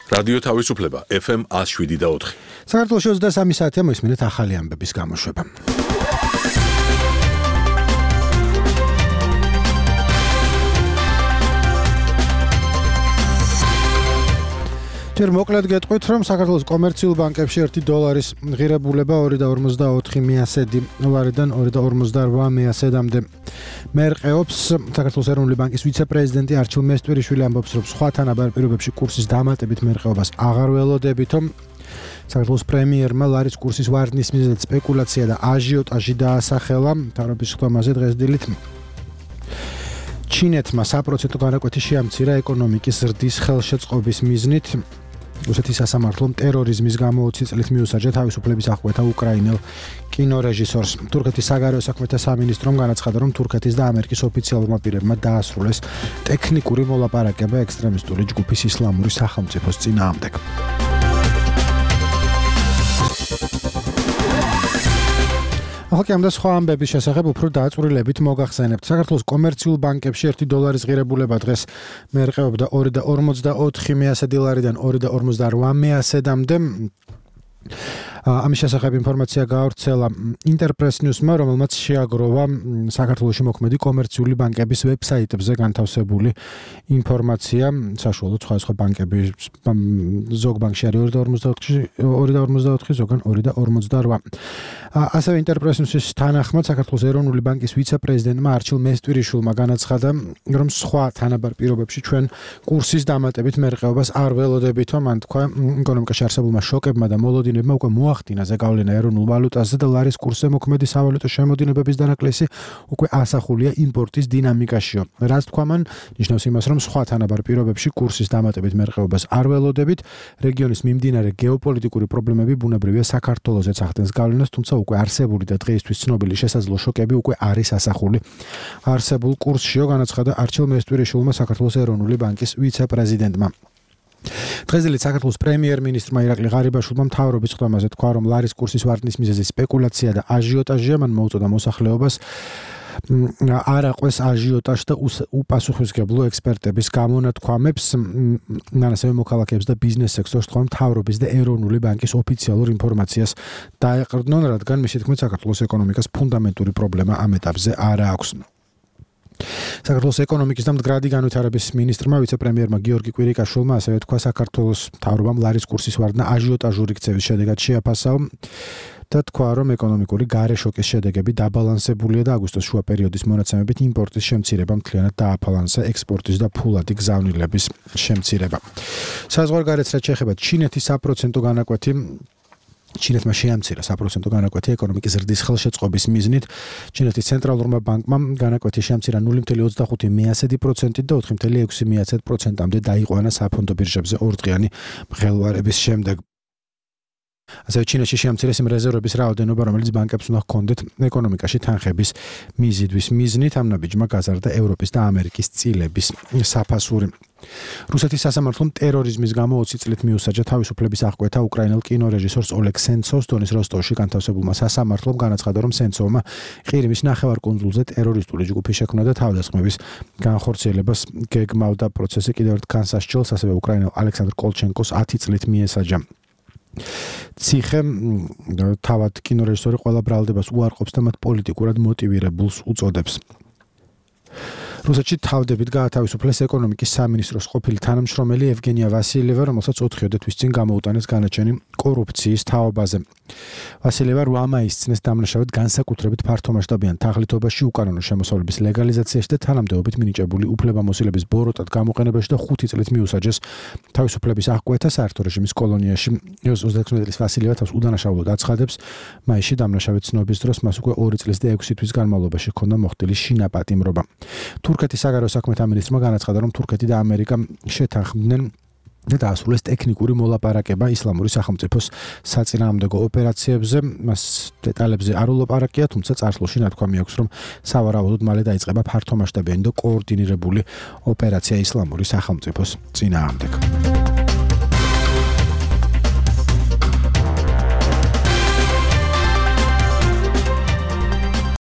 რადიო თავისუფლება FM 107.4. საქართველოში 23 საათია მოისმინეთ ახალი ამბების გამოშვება. ჯერ მოკლედ გეტყვით, რომ საქართველოს კომერციულ ბანკებში $1 ღირებულება 2.54 მიასედი დოლარიდან 2.58 მიასედამდე მერყეობს. საქართველოს ეროვნული ბანკის ვიცე-პრეზიდენტი არჩილ მესტვირიშვილი ამბობს, რომ სხვა თანაბარ პირობებში კურსის დამატებით მერყეობას აღარ ველოდებითო. საქართველოს პრემიერმა ლარის კურსის ვარდნის მიზეზად სპეკულაცია და აჟიოტაჟი დაასახელა. მთავრობის ხდომაზე დღეს დილით ჩინეთმა 1% განაკვეთი შეამცირა ეკონომიკის ზრდის ხელშეწყობის მიზნით. რუსეთის სასამართლომ ტერორიზმის გამო 20 წლით მიუსაჯა თავისუფლების აღკვეთა უკრაინელ კინორეჟისორს. თურქეთის საგარეო საქმეთა სამინისტრომ განაცხადა, რომ თურქეთის და ამერიკის ოფიციალურმა პირებმა დაასრულეს ტექნიკური მოლაპარაკება ექსტრემისტული ჯგუფის ისლამური სახელმწიფოს წინააღმდეგ. ახლა ამ და სხვა ამბების შესახებ უფრო დაწვრილებით მოგახსენებთ. საქართველოს კომერციულ ბანკებში $1 ღირებულება დღეს მერყეობდა 2.54 მიასედიდან 2.58 მიასედამდე. ამის შესახებ ინფორმაცია გაავრცელა ინტერპრეს ნიუსმა, რომელმაც შეაგროვა საქართველოში მოქმედი კომერციული ბანკების ვებსაიტებზე განთავსებული ინფორმაცია. საშუალოდ სხვა ბანკები ზოგ ბანკში არის 2.54, ზოგან 2.48. ასევე ინტერპრეს ნიუსის თანახმად საქართველოს ეროვნული ბანკის ვიცე-პრეზიდენტმა არჩილ მესტვირიშვილმა განაცხადა, რომ სხვა თანაბარ პირობებში ჩვენ კურსის დამატებით მერყეობას არ ველოდებითო. მან თქვა, ეკონომიკაში არსებულმა შოკებმა და მოლოდინებმა უკვე მოახდინა ზეგავლენა ეროვნულ ვალუტაზე და ლარის კურსზე მოქმედი სავალუტო შემოდინებების დანაკლისი უკვე ასახულია იმპორტის დინამიკაშიო. რაც თქვა მან, ნიშნავს იმას, რომ სხვა თანაბარ პირობებში კურსის დამატებით მერყეობას არ ველოდებით. რეგიონის მიმდინარე გეოპოლიტიკური პრობლემები ბუნებრივია საქართველოსაც ახდენს გავლენას, თუმცა უკვე არსებული და დღეისთვის ცნობილი შესაძლო შოკები უკვე არის ასახული არსებულ კურსშიო, განაცხადა არჩილ მესტვირიშვილმა საქართველოს ეროვნული ბანკის ვიცე-პრეზიდენტმა. დღეს დილით საქართველოს პრემიერ-მინისტრმა ირაკლი ღარიბაშვილმა მთავრობის ხდომაზე თქვა, რომ ლარის კურსის ვარდნის მიზეზი სპეკულაცია და აჟიოტაჟია. მან მოუწოდა მოსახლეობას არ აყვეს აჟიოტაჟს და უპასუხისმგებლო ექსპერტების გამონათქვამებს. მან ასევე მოქალაქეებს და ბიზნეს სექტორს თქვა, მთავრობის და ეროვნული ბანკის ოფიციალურ ინფორმაციას დაეყრდნონ, რადგან მისი თქმით საქართველოს ეკონომიკას ფუნდამენტური პრობლემა ამ ეტაპზე არ აქვს. საქართველოს ეკონომიკის და მდგრადი განვითარების მინისტრმა ვიცე-პრემიერმა გიორგი კვირიკაშვილმა ასევე თქვა, საქართველოს მთავრობამ ლარის კურსის ვარდნა აჟიოტაჟური ქცევის შედეგად შეაფასაო და თქვა, რომ ეკონომიკური გარე შოკის შედეგები დაბალანსებულია და აგვისტოს შუა პერიოდის მონაცემებით იმპორტის შემცირება მთლიანად დააფალანსა ექსპორტის და ფულადი გზავნილების შემცირება. საზღვარგარეთს რაც შეეხება ჩინეთის 1% განაკვეთი ჩინეთმა შეამცირა 1% განაკვეთი ეკონომიკის ზრდის ხელშეწყობის მიზნით. ჩინეთის ცენტრალურმა ბანკმა განაკვეთი შეამცირა 0.24% და 4.6%-მდე დაიყვანა საფონდო ბირჟებზე ორდღიანი მღელვარების შემდეგ. ასევე ჩინეთში შეამცირეს იმ რეზერვების რაოდენობა, რომელიც ბანკებს უნდა ჰქონდეთ ეკონომიკაში თანხების მიზიდვის მიზნით. ამ ნაბიჯმა გაზარდა ევროპის და ამერიკის წილების საფასური. რუსეთის სასამართლომ ტერორიზმის გამო 20 წლით მიუსაჯა თავისუფლების აღკვეთა უკრაინელ კინორეჟისორს ოლეგ სენცოვს. დონის როსტოვში განთავსებულმა სასამართლომ განაცხადა, რომ სენცოვმა ყირიმის ნახევარკუნძულზე ტერორისტული ჯგუფი შექმნა და თავდასხმების განხორციელებას გეგმავდა. პროცესი კიდევ ერთ განსასჯელს ასევე უკრაინელ ალექსანდრ კოლჩენკოს 10 წლით მიესაჯა. ციხე თავად კინორეჟისორი ყველა ბრალდებას უარყოფს და მათ პოლიტიკურად მოტივირებულს უწოდებს. რუსეთში თავდებით გაათავისუფლეს ეკონომიკის სამინისტროს ყოფილი თანამშრომელი ევგენია ვასილიევა, რომელსაც 4 თვის წინ გამოუტანეს განაჩენი კორუფციის თაობაზე. ვასილიევა 8 მაისს წნეს დამნაშავედ განსაკუთრებით ფართომასშტაბიან თაღლითობაში, უკანონო შემოსავლების ლეგალიზაციაში და თანამდებობით მინიჭებული უფლებამოსილების ბოროტად გამოყენებაში და 5 წლით მიუსაჯეს თავისუფლების აღკვეთა საერთო რეჟიმის კოლონიაში. 36 წლის ვასილიევა თავს უდანაშაულოდ აცხადებს. მაისში დამნაშავედ ცნობის დროს მას უკვე 2 წლის და 6 თვის განმავლობაში ჰქონდა მოხდილი შინაპატიმრობა. თურქეთის საგარეო საქმეთა მინისტრმა განაცხადა, რომ თურქეთი და ამერიკა შეთანხმდნენ და დაასრულეს ტექნიკური მოლაპარაკება ისლამური სახელმწიფოს საწინააღმდეგო ოპერაციებზე. მას დეტალებზე არ ულაპარაკია, თუმცა წარსულში ნათქვამი აქვს, რომ სავარაუდოდ მალე დაიწყება ფართომასშტაბიანი და კოორდინირებული ოპერაცია ისლამური სახელმწიფოს წინააღმდეგ.